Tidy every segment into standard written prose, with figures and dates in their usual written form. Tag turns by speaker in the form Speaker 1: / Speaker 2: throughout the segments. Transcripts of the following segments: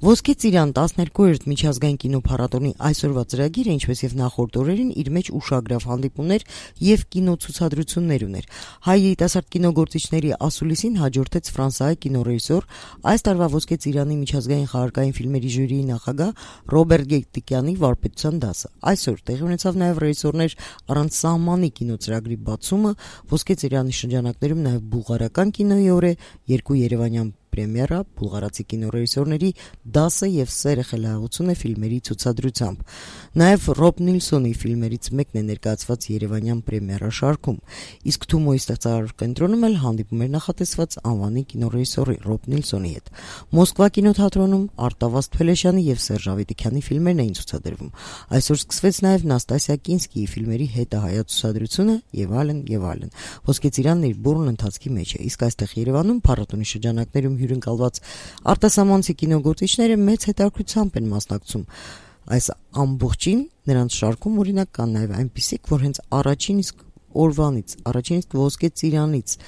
Speaker 1: Ոսկե ծիրան 12-րդ միջազգային կինոփառատոնի այսօրվա ծրագիրը, ինչպես եւ նախորդ օրերին, իր մեջ ուշագրավ հանդիպումներ եւ կինոցուցադրություններ ուներ։ Հայ երիտասարդ կինոգործիչների ասուլիսին հաջորդեց ֆրանսիայի կինոռեժիսոր, այս տարվա Ոսկե ծիրանի միջազգային խաղարկային ֆիլմերի ժյուրիի նախագահ Ռոբերտ Գետիկյանի վարպետության դասը։ Այսօր տեղի ունեցավ նաեւ ռեժիսորներ առանց սահմանի կինոծրագրի բացումը, Ոսկե ծիրանի շրջանակներում նաեւ բուլղարական կինոյի օր է, 2 երևանյան պրեմիերա, բուլղարացի կինոռեժիսորների դասը եւ սերը խելահեղությունը ֆիլմերի ցուցադրությամբ։ Նաեւ Ռոբ Նիլսոնի ֆիլմերից մեկն է ներկայացված երևանյան պրեմիերա շարքում։ Իսկ Թումոյի ստեղծարար կենտրոնում էլ հանդիպում էր նախատեսված անվանի կինոռեժիսորի Ռոբ Նիլսոնի հետ։ Մոսկվա կինոթատրոնում Արտավազդ Փելեշյանի եւ Սերժ Ավետիքյանի ֆիլմերն էին ցուցադրվում։ Այսօր սկսվեց նաեւ Նաստասիա Կինսկիի ֆիլմերի հետահայաց ցուցադրությունը եւ այլն եւ այլն։ Ոսկե ծիրանն իր բուրըն ընթացքի մեջ է, իսկ այստեղ Երևանում փառատոնի շրջանակներում հյուրընկալված արտասահմանցի կինոգործիչները մեծ հետաքրքրությամբ են մասնակցում այս ամբողջին, նրանց շարքում օրինակ կան նաև այնպիսիք, որ հենց առաջին իսկ Ոսկե ծիրանից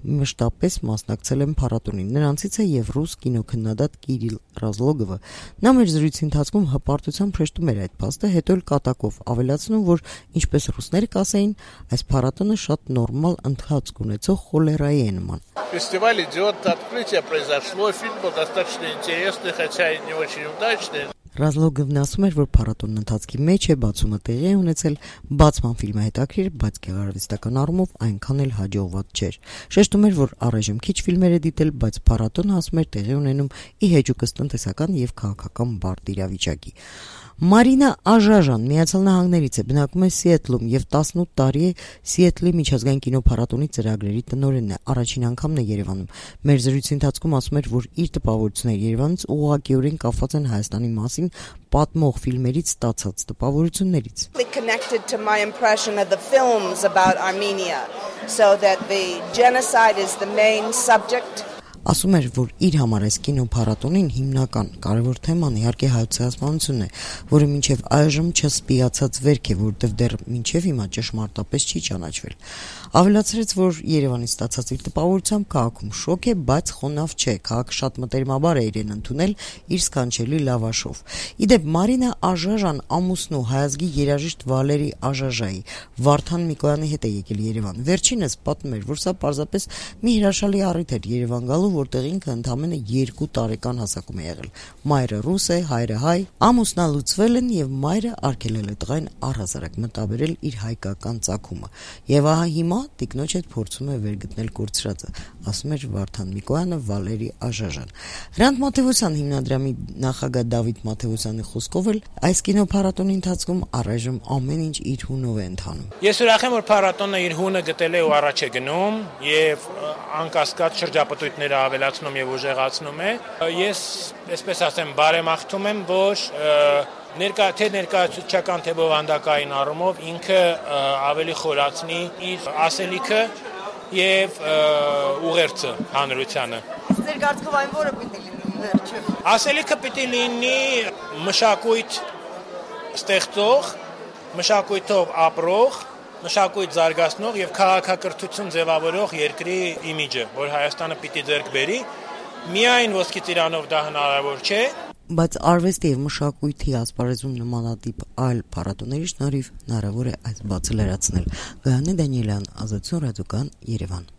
Speaker 1: մշտապես մասնակցել են փառատոնին։ Նրանցից է եւ ռուս կինոքննադատ Կիրիլ Ռազլոգովը։ Նա մեր զրույցի ընթացքում հպարտությամբ հեշտում էր այդ փաստը, հետո էլ կատակով ավելացնում, որ ինչպես ռուսները կասեին, այս փառատոնը շատ նորմալ ընթացք ունեցող խոլերայի է նման։
Speaker 2: Фестиваль идет, открытие произошло, фильм был достаточно интересный, хотя и не очень удачный.
Speaker 1: Ռազլոգովն ասում էր, որ փառատոնն ընթացքի մեջ է, բացումը տեղի է ունեցել, բացման ֆիլմը հետաքրքիր, բայց գեղարվեստական առումով այնքան էլ հաջողված չէր։ Շեշտում էր, որ առայժմ քիչ ֆիլմեր է դիտել, բայց փառատոնը, ասում էր, տեղի ունենում ի հեճուկս տնտեսական եւ քաղաքական բարդ իրավիճակի։ Մարինա Աժաժան Միացյալ Նահանգներից է, բնակվում է Սիեթլում եւ 18 տարի է Սիեթլի միջազգային կինոփառատոնի ծրագրերի տնօրենն է։ Առաջին անգամն է Երևանում։ Մեր զրույցի ընթացքում ասում էր, որ իր տպավորությունները Երևանից ուղղակիորեն կապված են Հայաստանի մասին պատմող ֆիլմերից ստացած տպավորություններից։
Speaker 3: Connected to my impression of the films about Armenia, so that the genocide is the main subject.
Speaker 1: Ասում էր, որ իր համար այս կինոփառատոնին հիմնական կարևոր թեման իհարկե հայցահասմանությունն է, որը մինչև այժմ չսպիացած վերք է, որտեղ դեռ մինչև հիմա ճշմարտապես չի ճանաչվել։ Ավելացրեց, որ Երևանից ստացած իր տպավորությամբ քաղաքում շոկ է, բայց խոնավ չէ, քաղաքը շատ մտերմաբար է իրեն ընդունել իր սքանչելի լավաշով։ Իդեպ Մարինա Աժաժան ամուսնու հայազգի երաժիշտ Վալերի Աժաժայի Վարդան Միկոյանի հետ է եկել Երևան։ Վերջինս պատմում էր, որ սա պարզապես մի հրաշալի առիթ էր Երևան գալու, որտեղ ինքը ընդամենը 2 տարեկան հասակում է եղել։ Մայրը ռուս է, հայրը հայ, ամուսնալուծվել են եւ մայրը արգելել է տղային առհասարակ մտաբերել իր հայկական ծագումը։ Եվ ահա հիմա տիկնոջ հետ փորձում է վերգտնել կորցրածը, ասում էր Վարդան Միկոյանը Վալերի Աժաժան։ Հրանտ Մաթեոսյան հիմնադրամի նախագահ Դավիթ Մաթեոսյանի խոսքով էլ այս կինոփառատոնի ընթացքում առայժմ ամեն ինչ իր հունով է ընթանում։
Speaker 4: Ես ուրախ եմ, որ փառատոնը իր հունը գտել է ու առաջ է գնում եւ անկասկած շրջապտույտները ավելացնում եւ ուժեղացնում է։ Ես, այսպես ասեմ, բարեմաղթում եմ, որ ներկայացուցչական թե բովանդակային առումով ինքը ավելի խորացնի իր ասելիքը եւ ուղերձը հանրությանը։
Speaker 3: Ձեր կարծիքով այն որը պիտի լինի վերջը։
Speaker 4: Ասելիքը պիտի լինի մշակույթ ստեղծող, մշակույթով ապրող, մշակույթ զարգացնող եւ քաղաքակրթություն ձևավորող երկրի իմիջը, որ Հայաստանը պիտի ձեռք բերի։ Միայն ոսկե ծիրանով դա հնարավոր չէ,
Speaker 1: բայց արվեստի եւ մշակույթի ասպարեզում նմանատիպ այլ փառատոների շնորհիվ հնարավոր է այս բացը լրացնել։ Գայանե Դանիելյան, Ազատություն ռադիոկան, Երևան։